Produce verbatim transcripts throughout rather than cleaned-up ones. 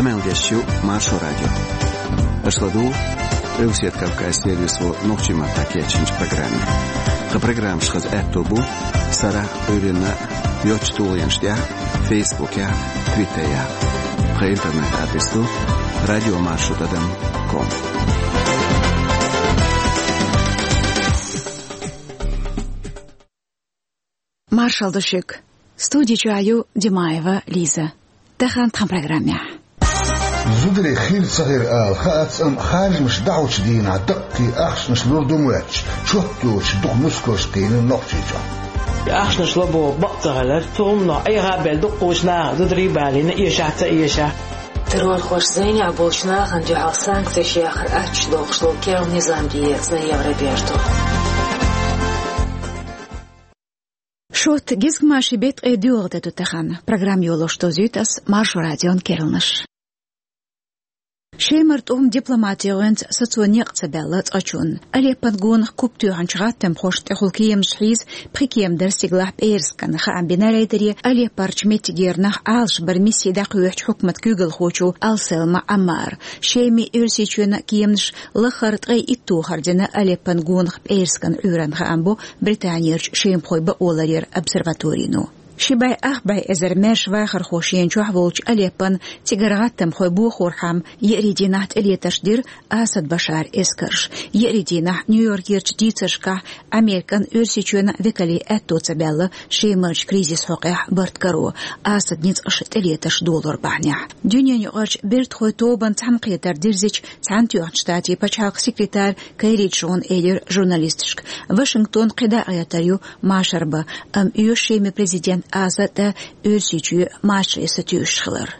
Къамел деш ю Маршо радио. Аша ладугӀу Къилбаседа Кавказ сервисо нохчийн маттахь кечйинчу программе. Тхан программаш хаза аьтто бу сарахь а, Ӏуьйранна а йоцчу тулгӀенаш тӀехь а, Фейсбукехь а, Твиттерехь а. Тхан интернет-адрес ду радио маршо тӀадам ком. Маршалла ду шуьга. Студи чохь ю Димаева Лиза. Тахана тхан программехь. Зударий хир ца хир ала хаац, амма харжамаш дӀахьочу дийнахь даккхий ахчанаш лур ду моьттуш, чот йоцуш дукха нускалш кхиъна Нохчийчохь. Ахчанаш ло боху бакъ ца хилар, цу хӀуманах Ӏеха а белла дуккхачу наха зударий а балийна, эшахь а ца эшахь. Террорхоша зӀенехь болчу нахана дуьхьал санкцеш яхар аттачу дохуш долу керла низам деэцна Евроберту. Шот гизгмашин беттан ткъе доьалгӀа де ду тахана. Программа йолош дозуьйту ас Маршо радион керланаш. Шемара тӀум дипломатин гӀоьнца сацо некъ ца баьлла цкъачунна. Алеппон гонах куп тоьхначу гӀаттамхошна тӀехула кеманаш хьийза пхи кема дара стигалахь пӀераскан. Хаам бина рейдаре Алеппарчу меттигера нах Ӏалашбаран мисси дӀакхоьхьучу хьукматан куьйгалхочо Ал-Селма Ӏаммара. Шеман, Оьрсийчоьнан кеманаш лаххара ткъе итт тохар дина Алеппон гонах пӀераскан Ӏуьйранна, хаам бо Британерчу шемахойн бакъоларъяран обсерваторино. Ши бӀе ах бӀе эзар маьрша вахархо шена чохь волчу Алеппон цигара гӀаттамхой бохорхьама еарин дийнахь тӀелетарш дира Асад Башаран эскарша. Еарин дийнахь Нью-Йоркерчу дийцаршкахь Американ, Оьрсийчоьнан векалийн аьтто ца баьлла Шемарчу кризисан хьокъехь барт каро, Асадан ницкъаша тӀелетарш долор бахьанехь. Дуьненаюкъарчу бертахойн тобанан цхьаьнакхетар дирзича, Цхьаьнатоьхначу Штатийн пачхьалкхан секретарь Керри Джона элира журналисташка, Вашингтон кхидӀа а гӀертар ю машар бан, амма оьшу Шеман президент Асад а, Оьрсийчоь а машаре сатуьйсуш хилар.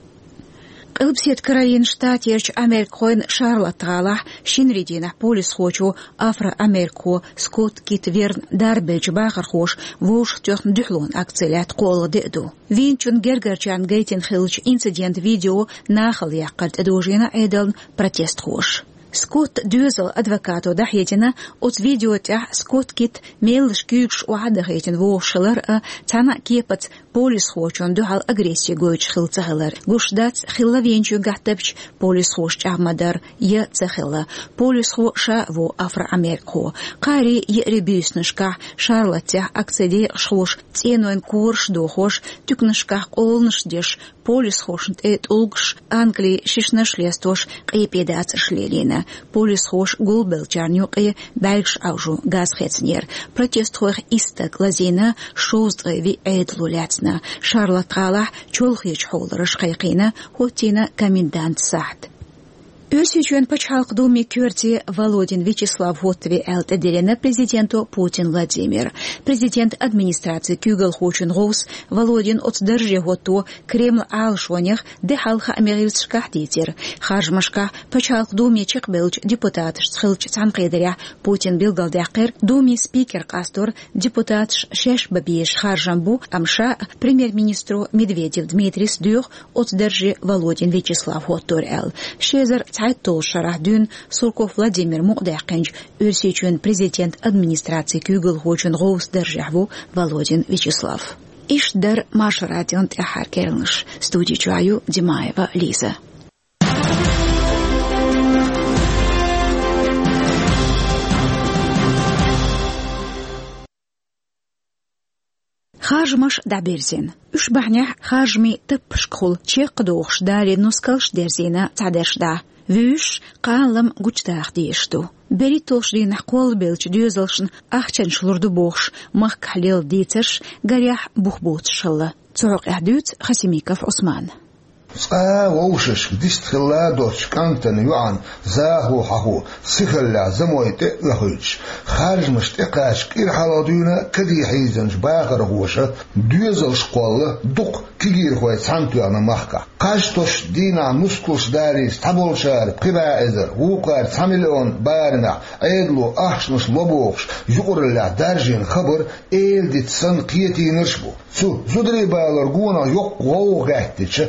Къилбаседа Каролинан Штатерчу америкахойн Шарлотт-гӀалахь шинарин дийнахь полисхочо афро-америкахо Скотт Китт Верн дарбеллачу бахархоша вовшахтоьхна дуьхьалонан акци лаьтта кхоалгӀа де а ду. Вийначун гергарчарна гайтина хиллачу инцидентан видео нахала яккхар тӀедожийна Ӏедална протестхоша. Скотт доьзалан адвокато дӀахьедина, оцу видео тӀехь Скотт Китт меллаша куьйгаш охьа а дахийтина вогӀуш хилар а, цхьана а кепаца полисхочунна дуьхьал агресси гойтуш хилла ца хилар. Гуш дац, хилла вийначуьнгахь тапча полисхоша чӀагӀ ма-дарра, я ца хилла. Полисхо ша а ву афро-америкахо. Кхаарин, еарин буьйсанашкахь Шарлоттехь акцин декъашхоша цӀенойн кораш а дохош, туьканашкахь къоланаш а деш, полисхошна тӀе тӀулгаш, ангалийн шишнаш а лестош, къепе дацарш лелийна. Полисхоша гулбеллачарна юкъе бӀаьргаш Ӏовжо газ хецнера. Протестхойх исс стаг лазийна, шовзткъе виъ Ӏедало лаьцна. Шарлотт-гӀалахь чолхечу хьолараша кхайкхийна, хӀоттийна комендантан сахьт. Оьрсийчоьнан Пачхьалкхан Думин коьрте Володин Вячеслав хӀоттаве аьлла тӀедиллина президенто Путин Владимира. Президентан администрацин куьйгалхочун гӀовс Володин оцу дарже хӀотто Кремлан Ӏалашонех де хьалха хаамийн гӀирсашкахь дийцира. Харжамашкахь Пачхьалкхан Думе чекхбевллачу депутаташца хиллачу цхьаьнакхетарехь Путина билгалдаьккхира, Думин спикер къастор депутаташ шаьш бан безаш харжам бу, амма ша а, премьер-министро Медведев Дмитрис доьху оцу дарже Володин Вячеслав хӀоттор аьлла. Ши эзар цхьайтталгӀачу шарахь дуьйна Сурков Владимира мукъадаьккхинчу Оьрсийчоьнан президентан администрацин куьйгалхочун гӀовсан даржехь ву Володин Вячеслав. Иштта дара Маршо радион тӀаьххьара керланаш. Студи чохь ю Димаева Лиза. Харжамаш дӀабирзина. Уьш бахьанехь харжамийн таппашкахула чекхдохуш далийна нускалш дерзийна цхьадерш дӀа. Вуьйш кханалам гучудаха дезаш ду. БерхӀитталгӀачу дийнахь кхоллабеллачу доьзалшна ахчанаш лур ду бохуш махкахь лелла дийцарш гарехь бух боцуш хилла. Цу хьокъехь дуьйцу Хасимиков Ӏусмана. Цкъа а вовшашка дистхилла доцучу кӀантана йоӀан захо хьахо сихаллехь замой тӀе а оьхуьйтуш, харжамаш тӀекхача кӀира хьалха дуьйна каде хьийзинчу бахархоша доьзалш кхолла дукха кегийрхой цхьаьнатоьхна махкахь. Кхаж тосучу дийнахь нускалш далийча цхьаболчара пхи бӀе эзар, вукхара цхьа миллион барамехь Ӏедало ахчанаш ло бохуш юкъараллехь даржийна хабар эладита санна кхетийнарш а бу. Цу зударий балоран гонах йоккха гӀовгӀа гӀаьттича,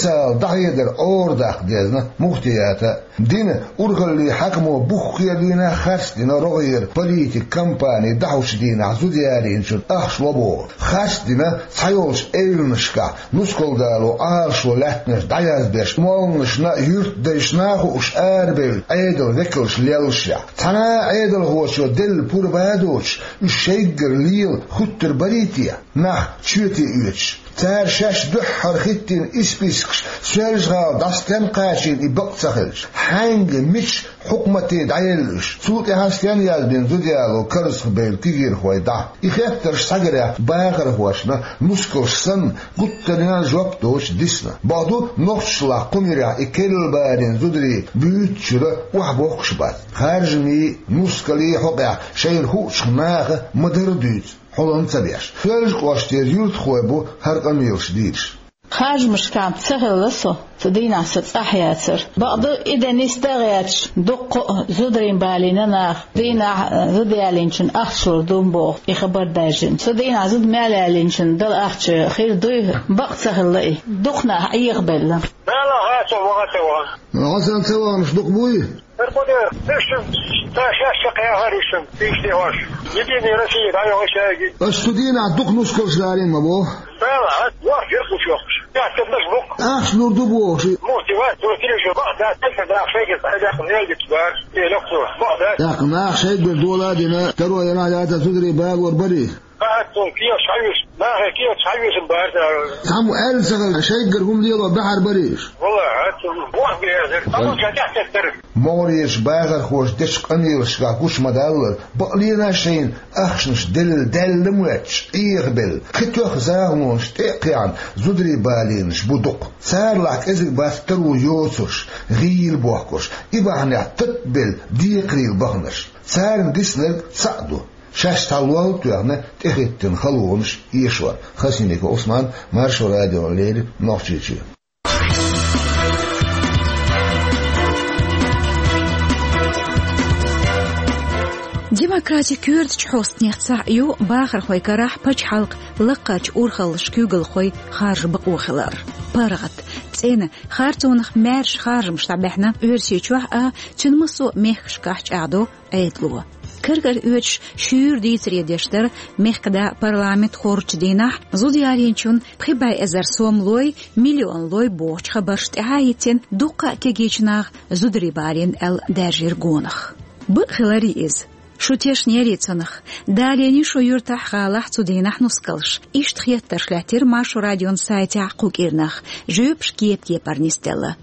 Ала дӀахьедар Ӏорадаккха дезна муфтията. Дина урхаллин хьакамо буххера дийнахь харцдина рогӀера политикан кампани дӀахьочу дийнахь зудаялийначун ахча ло боху. Харцдина цхьайолчу эвланашкахь нускал дало Ӏалашо лаьттанаш дӀаязбеш, молланашна а, юьртдайшна а хууш арабевлла Ӏедалан векалш леллашехь, цхьана а Ӏедалхочо делла пурба а доцуш, уьш шайггара лела хуьттур барий те, нах чоьте оьцуш? Цара шаьш дуьххьара хӀиттийна испискаш Соьлжа-ГӀала дӀа стенна кхачийна и бакъ ца хилча, хьаьнга, мича хьукмате дӀаелла уьш, цул тӀаьхьа стенна яздина зудаяло карзахбевлла кегийрхой дӀа? И хеттарш схьагарехь бахархошна, нускалш санна, гуттаренна жоп доцуш дисна. Бакъду, нохчашлахь кху муьрехь и керла балийна зударий буьйцучуьра охьабохкуш бац. Харжамийн, нускалан хьокъехь шайна хуучух наха ма-дарра дуьйцу, хьулам ца беш. Соьлжа кӀоштера юьртахой бу хӀара къамелаш дийраш. Харжамашкахь ца хилла со, цу дийнахь сан цӀахь яцара. Бакъду, и де нисдан а гӀерташ, дуккха а зударийн балийна наха, дийнахь, э, зудаялийначун ахча лур ду боху и хабар даьржина. Цу дийнахь зуда мел ялийначун дала ахча хир дуй, бакъ ца хилла и. Дукха нах Ӏехабелла. Дала хьан со ваха ца ваха? Хьан сан ца ваханаш дукха буй? Эр кху де, иштта, ца шаьш чекхъяхьара иштта, иштта хьош. Единая Россия, дӀайогӀу шайги. Аш цу дийнахь дукха нускалш дарийна ма боху. Дала, а, вахча ирхуш йохуш. Яхтамаш бу. Ахча лур ду бохуш. Мухти вац, цо тилиша бакъ дац, тайпа нах шайгара дӀадаккха нелгиц бар. Э, лохцо, бакъ дац. ТӀаккха нах шайгара дола а дина, таро яра яца зударий балор барий? Бахьа цунна кехаш хьавеш, нахе кехаш хьавешан бара цара. Цхьаммо аьлла ца хилла, шайггара хӀума лело баьхьар барий уьш? Валла, хьа цунна боху безар. Амма ша тӀехь теттара. МогӀарерчу бахархоша дечу къамелашкахь гучу ма-даллара, бакъ лена шайна ахчанаш делла, даьлла моьттуш, Ӏехабелла, кхин тоьхна захалонаш тӀе а кхиъна, зударий балийнаш бу дукха. Царалахь кӀезиг бац таро йоцурш, гӀийла бохкурш, и бахьанехь тапбелла декхарийла баханарш. Царна диснарг цхьаъ ду. Шаьш цхьа лол а тоьхна, тӀехӀиттина халонаш эшор. Хасимиков Ӏусман, Маршо радиона леррина, Нохчийчоь. Демократин коьртачу хьостанех цхьаъ ю бахархойн карахь пачхьалкхан лакхарчу урхаллашкахь куьйгалхой харжа бакъо хилар. ПаргӀат, цӀена, харцонах маьрша харжамаш дӀабаьхьна Оьрсийчохь а, цуьнан массо а мехкашкахь чӀагӀдо Ӏедало. Каркара оьцуш шуьйра дийцаре деш дара мехкан да парламент хоржучу дийнахь зуда ялийначун пхи бӀе эзар сом лой, миллион лой бохучу хабарш тӀаьхьа а йитина, дуккха а кегийчу наха зударий балийна аьлла даьржира гонах. Бакъ хиларий иза? Шу тешнерий цунах? Далийний шун юьртахь, гӀалахь цу дийнахь нускалш? Иштта хеттарш лаьттира Маршо радион сайтехь кху кӀирнах, жоьпаш кеп-кепара нисделла.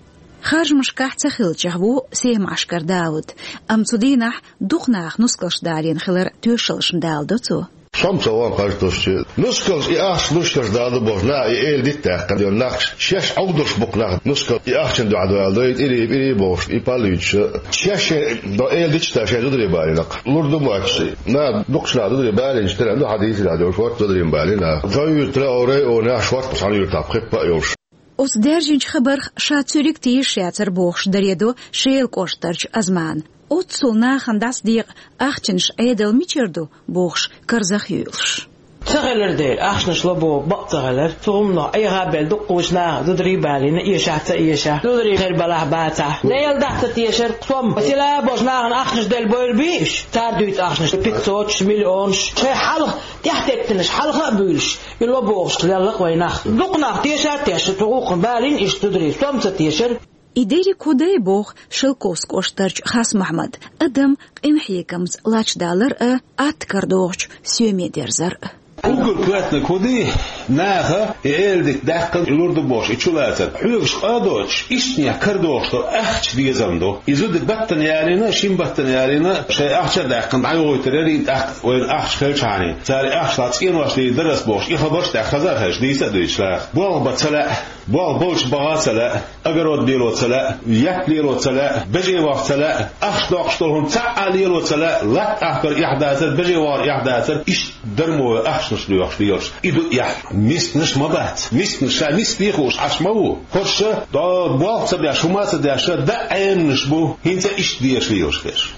Харжамашкахь ца хиллачех ву Семашкара Дауд, амма цу дийнахь дукха наха нускалш далийна хиларан тоьшаллаш ма даладо цо. Со-м ца вахана харжа тосучу. Нускалш и ахча луш, таш дала бохуш, наха и эладита даьккхина. Нах шаьш Ӏовдалш бу-кх нах, нускал и ахчанна дуьхьа дала дой, тӀирий, пӀирий бохуш, и пал юьйцуш. Шаьш до эладиташ дац шайн зударий балийна-кх. Лур ду моьттуш. Наха дукхачу наха зударий балийначу тӀера ду хьан дийцарехь долуш, хӀорта зударий балийна наха. Со юьртара а, Орай а, Оьнаш хӀорта цхьана юьртахь пхи-пхи а йолуш. Оцу даьржинчу хабарх ша цуьриг тешаш яцара бохуш даре до Шелан кӀоштарчу Азмана. Оццул нахана дӀасадекъа ахчанаш Ӏедал мичара ду бохуш, карзах юьйлуш. Ца хилар дела, ахчанаш ло боху бакъ ца хилар. Цу хӀуманах Ӏеха а белла, дуккхачу наха зударий балийна, эшахь а ца эшахь, зударий хир балахь а бацахь. Делан дахь ца тешара, сом, села а болуш нахана ахчанаш делла бойла бий уьш? Цара дуьйцу ахчанаш пятьсоташ, миллионаш. Шайн хьалха тӀаьхьатеттинарш хьалха а буьйлуш, и ло бохуш лелла-кх вайн нах. Дукха нах теша а тешна, цу гӀуллакхна балийна иштта зударий, сом ца тешара. И дерриг хӀун дай боху Шелковски кӀоштарчу Хасмохьмада: адам къинхьегамца лачдалар а, атта карадогӀучу соьме дерзар а. Уггар коьртаниг хӀун ду, наха и эладита даьккхина, и лур ду бохуш, и чулацар. Хьоьгуш къа а доцуш, иштанех карадогӀуш долу ахча безам ду. И зуда баттана ялийна, шина баттана ялийна, шайн ахча а даьккхина, дӀайохуьйтур яра и, тӀаккха вайна ахча хилчахьана. Цара и ахча цӀенош дийр дара ас бохуш, и хабарш тӀехь хаза а хезаш, дийца а дуьйцуш наха. Болх бан ца лаьа. Болх болчу баха ца лаьа, огород лело ца лаьа, етт лело ца лаьа, бежевах ца лаьа, ахча доккхуш долу хӀума цхьа а лело ца лаьа, латта ахкар эхь дацара, бежевахар эхь дацара, иштта дармо ахчанаш лоьхуш лелаш. И ду эхь. Мисканаш ма бац. Мисканаш ша миска хууш Ӏаш ма ву. ХӀорш а, до, болх ца беш, хӀума а ца деш, дан Ӏеманаш бу, хӀинца иштта дезаш лелаш берш.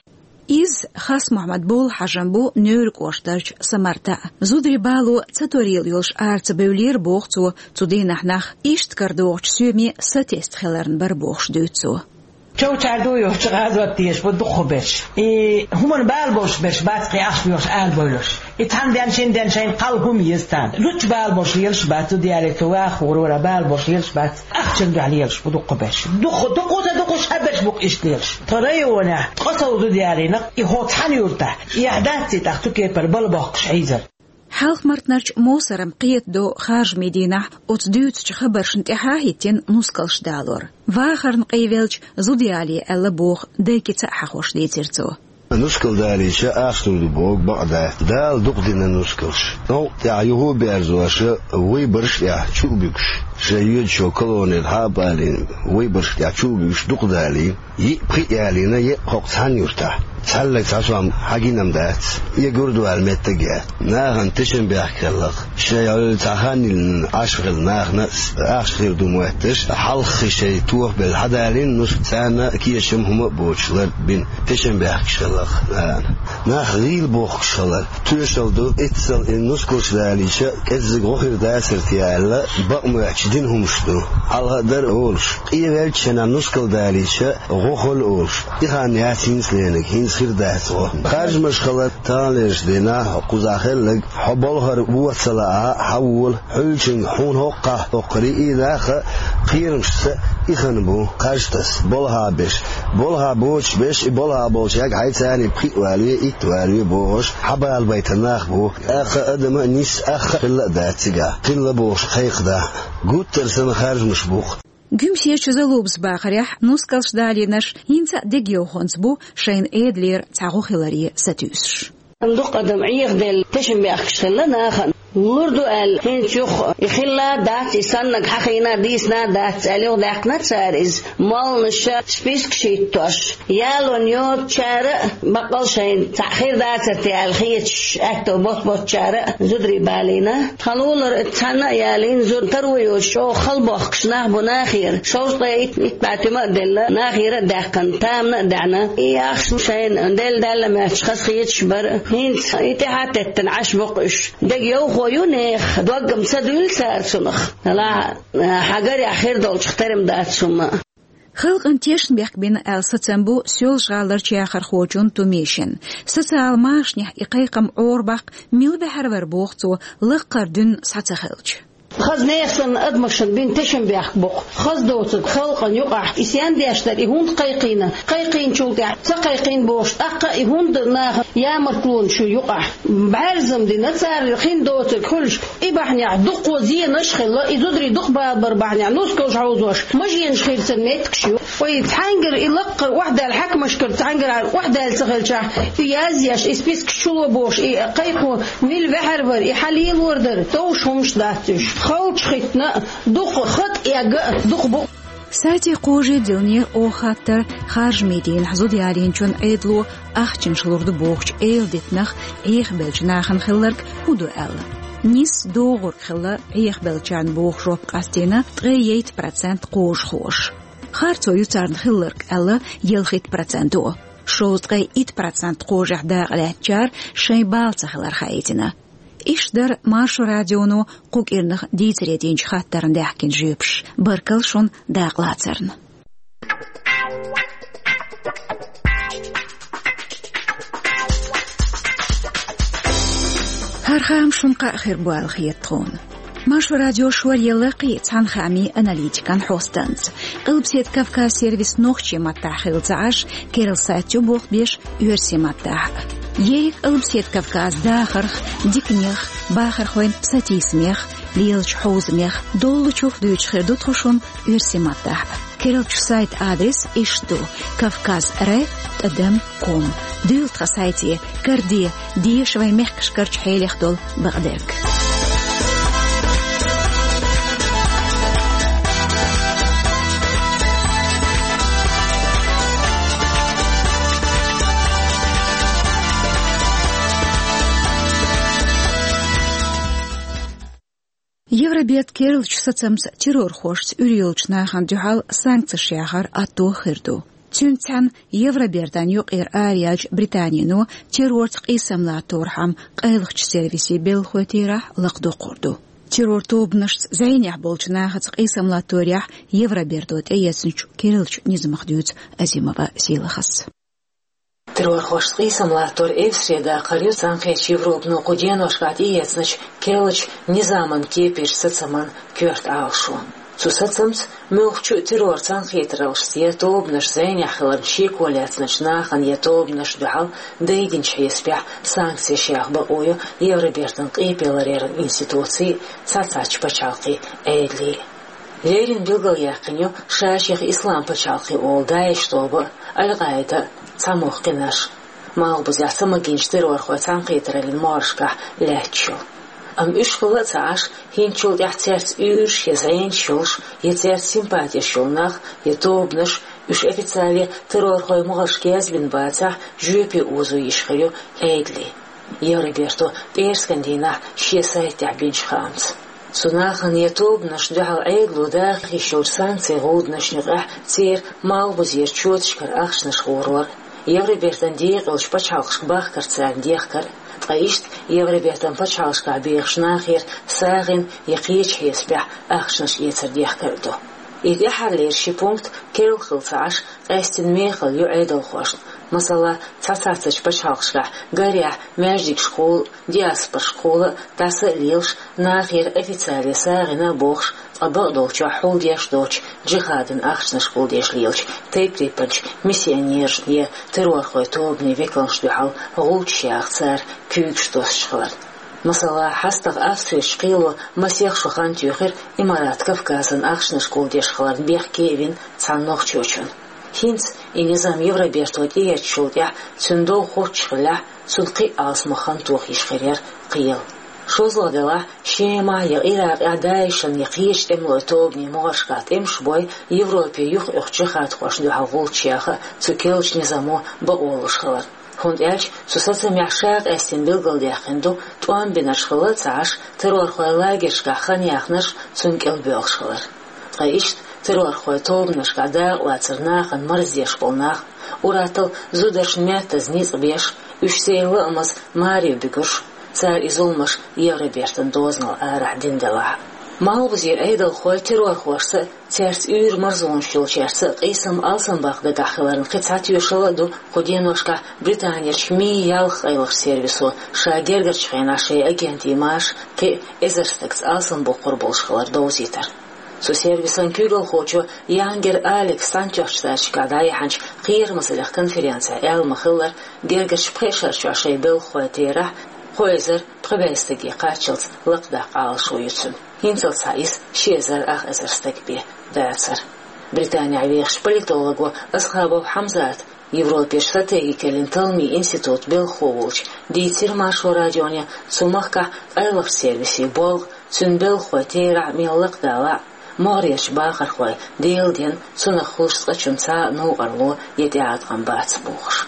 Изза Хас-Мухьаммад болх хьажам бу Невран кӀоштарчу Самартахь. Зударийн бало ца торийла йолуш ара ца бевлира, боху цо, цу дийнахь нах иштта карадогӀучу соьме сатесна хиларна бара бохуш дуьйцу цо. Чов чӀагӀдо йохчу гӀазот дезаш бу дукхахберш. И хӀуманна бала болуш берш бац кхин ахча доьхуш ала бовлуш. И цхьана ден, шина ден шайна кхалла хӀума еза царна. Зудчун бала болуш лелаш бац, зуда ялийта ваха хӀума вара бала болуш лелаш бац. Ахчанна дуьхьа лелаш бу дукхахберш. Дукха, дукха, дукха, дукха ша берш бу-кх иштта лелаш. Тхан районехь ткъа сов зуда ялийна, и хӀокху цхьана юьртахь. Эхь дац ций тӀаккха цу кепара бала бохкуш хьийзар. Хьалха-Мартанарчу Мовсаран кхетадо харжамийн дийнахь оцу дуьйцучу хабаршна тӀаьхьа а хӀиттина нускалш далор. Вахарна къевелча зуда ялае аьлла боху дайкица а хьахош дийцира цо. Нускал далийча ахча лур ду боху бакъ дац. Дала дукха дина нускалш. Новкъа тӀехь юха а берзош, вайбарш а тӀехь чу а буьгуш, шайн йоьдучу колонера хьа а балийна, вайбарш а тӀехь чу а буьгуш дукха далийна. Йиъ-пхиъ ялийна, йиъ хӀокху цхьана юьртахь. Цхьаьллаг цхьа сом хьагина-м дац, и гурдавала меттиг а яц. Нахана тешнабехк хилла-кх. Шайн Ӏуьллу цхьа хан йиллина Ӏаш хилла нахана а ахча хир ду моьтташ, хьалххе шайн тохабелла хьадалийна нуска, царна кечам хӀума а боцуш лар бина. Тешнабехкаш хилла-кх нахана. Нах гӀийла бохкуш хилар тоьшалла ду, эццал и нускалш далийча, кӀеззиг гӀо хир дацара те аьлла, бакъ моьттуш дина хӀумаш ду. Хьалха а дара олуш, къевеллачу хенахь нускал далийча, гӀо хуьлу олуш. И хан яц хӀинца леринарг, хӀинца хир дац гӀо. Харжамаш хилар таханлерчу дийнахь кхузахь хилларг, хьо болхара вон ца лаахь а, хьавола, хьуьллучуьнга хьуна хӀоккхахь хӀоккхур и нах а кхерамашца и хан бу, харж таса, болх беш. Болх боцуш берш, и болх болчу яга хьайца а пхиъ валаве, итт валаве бохуш, хьабалабайтар нах бу. ТӀаккха адам а нисса, ах а хилла а дац цигахь, хилла бохуш кхайкхадахь. Гуттар а санна харжамаш бу-кх. Гуьмсечу Залубас бахарехь, нускалш далийнарш хӀинца а дегайовхонца бу шайна Ӏедалера цхьа гӀо хиларе сатуьйсуш. Дукха адам Ӏехаделла тешнабехкаш хилла нахана. Лур ду аьлла, хӀинца юха и хилла а дац, и саннарг хьахийна а, дийцина а дац аьлла, юхадаьккхина цара иза. Молланаша спискаш хӀиттош, ялонна йоцучара а, баккъал шайна цхьаъ хир дацара те аьлла хеташ, аьтто боц-боцучара а зударий балийна. Тхан лулара цхьанна а ялийна, зуда таро йоцуш чӀогӀа хала бохкуш нах бу нахера. Шовзткъе итт, итт бӀе туьма а делла, нахера а даьккхина, тамана а даьӀна. И ахча шайна делла даьлла моьттуш хазахеташ бара. ХӀинца и тӀаьхьа а теттина Ӏаш бу-кх уьш. Дегайовхо ю нехан, дог-м ца дуьллу цара цунах. Делахь, хьан гарехь хир долчух тера-м дац хӀумма а. Халкъана тешнабехк бина аьлла сацам бу Соьлжа-ГӀаларчу яхархочун Тумишин. Социал машанехь и кхайкхам Ӏорабаккха мила баьхьар вара, боху цо, лаккхара дуьнна схьа ца хилча. Хаза нехан санна адамашна бина тешнабехк бу-кх. Хаза доцург халкъана юкъахь и сен деш дара, и хӀунда кхайкхийна, кхайкхийначул тӀаьхьа ца кхайкхийна бохуш, тӀаккха а и хӀунда нахана ямартлонаш ю юкъахь. БӀаьрза-м дина цара хин доцург хуьлуш, и бахьанехь дуккха зенаш а хилла, и зударий дукха балабар бахьанехь нускалш хьовзош, машенаш хирцан меттигаш ю. Вай цхьаьнгара и лаккхара охьадаьлла, хьаькамашкара цхьаьнгара охьадаьлла ца хилчахь, и язъеш, и спискаш чуло бохуш, и кхайкхо мила ваьхьар вара, и хьан лелор дара, товш хӀумаш дац уьш. ХалчахӀиттина а, дукха хатӀ эгга а дукха бу. Сайте кхожий дилнера оха хаттар, харжамийн дийнахь зуда ялийначун Ӏедало ахчанаш лур ду бохучу эладитанах Ӏехабеллачу нахана хилларг хӀун ду аьлла. Нисса догӀург хилла Ӏехабеллачарна боху жоп къастийна ткъе итт процент кхожахоша. Харцо ю царна хилларг аьлла ялхитта проценто. Шовзткъе итт процент кхожехь дакъа лаьцначара шайн бала ца хилар хаийтина. Иштта дара Маршо радионо кху кӀирнах дийцаре динчу хаттарна даьхкина жоьпаш. Баркалла шуна дакъалацарна. ХӀара хаам шуна кхаъ хир бу аьлла хета тхуна. Маршо радио шоръелла кхин а цхьана хаамийн аналитикан хьостанца. Къилбаседа Кавказ сервис нохчийн маттахь хилла ца Ӏаш, керла сайт чу болх беш оьрсийн маттахь. Ерриг Къилбаседа Кавказ дахарх, диканех, бахархойн сатийсамех, лелачу хьовзамех доллучух дуьйцуш хир ду тхо шуна оьрсийн маттахь. Керлачу сайта адрес иштта ду: кавказ ре тӀадам ком. Дуьйла тхан сайте, караде, деша вайн мехкашкарчу хьелех долу бакъдерг. Евроберд керлачу сацамца террорхошца уьйр йолчу нахана дуьхьал санкцеш яхар атто хир ду. Цуьнца цхьаьна Евробертан юкъера араяьллачу Британино террорца къийсам латторхьама къайлахчу сервисийн белхалой терахь лакхадоккхур ду. Террор тобанашца зӀенехь болчу нахаца къийсам латторехь Евроберто тӀеэцначу керлачу низамах дуьйцу Азимова Сийлахьас. Террорхошца къийсам латтор эвсаре даккхар ю Цхьаьнакхеттачу Европано кху деношкахь тӀеэцначу керлачу низаман кепарчу сацаман коьрта Ӏалашо. Цу сацамца муьлххачу а террор цхьаьнакхетараллашца я тобанаш зӀенехь хиларна шеко лаьцначу нахана я тобанашна дуьхьал дайдинчу хьесапехь санкцеш яха бакъо ю Евробертан къепе ларъяран институцийн, цхьацца пачхьалкхийн Ӏедалан. Леррина билгалъяьккхина ю ша-шех Ислам пачхьалкх олу ДАИШ тоба а, Аль-Къаида а, цхьа муьлхха кхин а. Малхбузехь ца магийначу террорхойн цхьаьнакхетараллин могӀаршкахь лаьтташ йолу. Амма уьш хилла а ца Ӏаш, хӀинцачул тӀаьхьа цаьрца уьйраш я зӀенаш йолуш, я цаьрца симпатеш йолу нах, я тобанаш, уьш официале террорхойн могӀаршка яздина бацахь, жоьпе озо йиш хир ю Ӏедалан. Евроберто пӀераскан дийнахь шен сайтехь бинчу хаамца. Цу нахана я тобанашна дуьхьал Ӏедало даха йиш йолчу санкцийн гӀуданашна юкъахь церан малхбузера чоташкара ахчанаш гӀурор, Евробертан декъалчу пачхьалкхашка бахкар царна дехкар, ткъа иштта Евробертан пачхьалкхашкахь бехачу нахера сагӀина я кхечу хьесапехь ахчанаш эцар дехкар а ду. И тӀаьххьарлера ши пункт керла хилла ца Ӏаш, къаьстина мехала ю Ӏедалхошна. Масала, цхьацца пачхьалкхашкахь, гарехь, маьждигашкахула, диаспорашкахула дӀаса а лелаш, нахера официале сагӀина а бохуш, ткъа бакъдолчохь хьулдеш доцучу джихадан ахчанаш гулдеш лелачу тайп-тайпанчу миссионерашна я террорхойн тобанийн векалшна дуьхьал гӀулчаш яха цара куьйгаш доссуш хиларна. Масала, хьастагӀа Австрерчу кхело масех шо хан туьйхира Имарат Кавказан ахчанаш гулдеш хиларна бехке а вина цхьана нохчочунна. ХӀинца и низам Евроберто тӀеэцначул тӀаьхьа цуьнан дов хоттуш хиллехь, цунна кхин а алсамох хан тоха йиш хир яра кхелан. ШозлагӀа делахь, Шемахь я Иракъехь ДАИШан я кхечу тӀемалойн тобанийн могӀаршкахь тӀемаш бой, Европе юхаоьхучу джихадхошна дуьхьал гӀулчаш яха а цу керлачу низамо бакъо луш хиларна. ХӀунда аьлча цу сацамехь ша къаьстина билгалдаьккхина ду, тӀом бинарш хилла а ца Ӏаш, террорхойн лагершкахь хан яхнарш цунна кӀелбоьлхуш хилар. Ткъа иштта террорхойн тобанашкахь дакъалацар нахана марздеш болу нах, ур-атталла зударшна маьттаза ницкъ беш, уьш церан лаамаза маре буьгурш, цара и зуламаш Евробертан дозанал арахь дина делахь а. Малхбузера Ӏедалхой террорхошца а, цаьрца уьйр-марзонаш йолчаьрца а къийсам алсамбаккха дагахь хиларна кхин цхьа тоьшалла а ду кху деношкахь Британерчу МИ-ялх къайлахчу сервисо ша гергарчу хенахь шайн агентийн марша кхин а эзар стагца алсамбоккхур болуш хилар довзийтар. Цу сервисан куьйгалхочо Янгер Алекса Цхьаьнатоьхначу Штаташкахь дӀаяьхьначу кхерамазаллех конференцехь аьлла ма-хиллара, гергарчу пхеа шарчохь шайн белхахойн терахь кхо эзар пхи бӀе стаге кхаччалц лакхадаккха Ӏалашо ю цуьнан. ХӀинцалц схьа иза ши эзар ах эзар стаг бен дацара. Британехь вехачу политолого Асхабов Хьамзата, Европерчу стратегикаллин талламийн институтан белхахо волчу, дийцира Маршо радионе цу махкахь къайлахчу сервисийн болх, цуьнан белхахойн терахь мел лакхадалахь а, могӀарерчу бахархой, Делан денна, цунах хуьлуш цкъачунна цхьа а новкъарло я тӀеӀаткъам бац бохуш.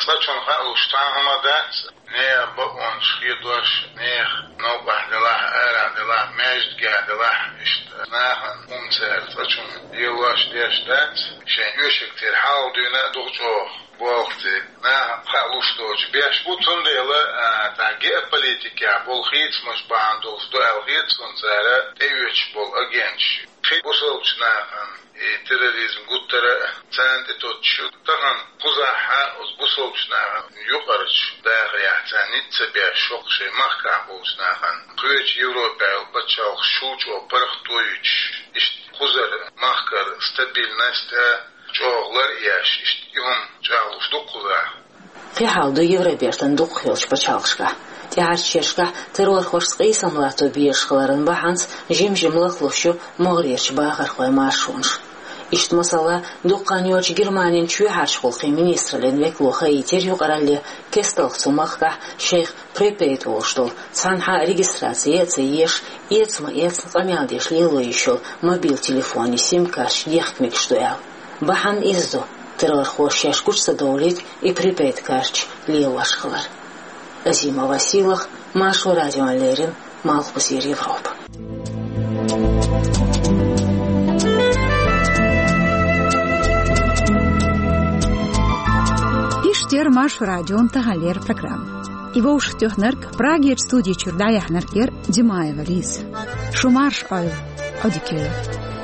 Цкъачунна хаалуш цхьа а хӀума дац, нехан бакъонаш хедош, нехан новкъахь делахь а, арахь делахь а, маьждигехь делахь а, иштта нахана хӀума цара цкъачунна лелош деш дац, шайн оьшург тера хьалха дуьйна а дукха чӀогӀа болх ца нахана хаалуш доцуш беш бу, цундела, а, тхан геополитикехь болу хийцамаш бахьана долуш ду аьлла хета суна цара тӀеоьцуш болу агенташ. Кхин бусалбачу нахана и терроризм гуттара а царна тӀе тоттуш ю. Тахана кхузахь а оцу бусалбачу нахана юкъарчу дахарехь царна ницкъ ца беш, хӀокху шайн махкахь болчу нахана кхечу Европехь йолу пачхьалкхаш чул чӀогӀа паргӀато юьтуш, иштта кхузара махкара стабильность а чӀогӀа лар а еш, иштта и хӀума чӀагӀлуш ду кхузахь. Кхин хьал ду Евробертан дукхахйолчу пачхьалкхашкахь. ТӀаьхьарчу шерашкахь террорхошца къийсам латто безаш хиларан бахьанца жим-жима лахлуш ю могӀарерчу бахархойн маршонаш. Иштта, масала, дукха хан йоццуш Германин чоьхьарчу гӀуллакхийн министраллин векало хаийтира юкъаралле, кестта цу махкахь шайх припейд олуш долу, цхьанхьа а регистраци а ца еш, эца ма эцна къамел деш лело йиш йолу мобил телефонийн сим-карташ ехка мегаш ду аьлла. Бахьана иза ду, террорхоша шаьш гучу ца довлийта и припейд карташ лелош хилар. Азимова Сийлахь, Маршо радиона леррина, Малхбузера Европа. Яр Маршо радион таханлера программа. И вовшахтоьхнарг, Прагерчу студи чуьра дӀаяьхьнарг яр Димаева Лиза. Шу марша Ӏойла, Ӏодика йойла.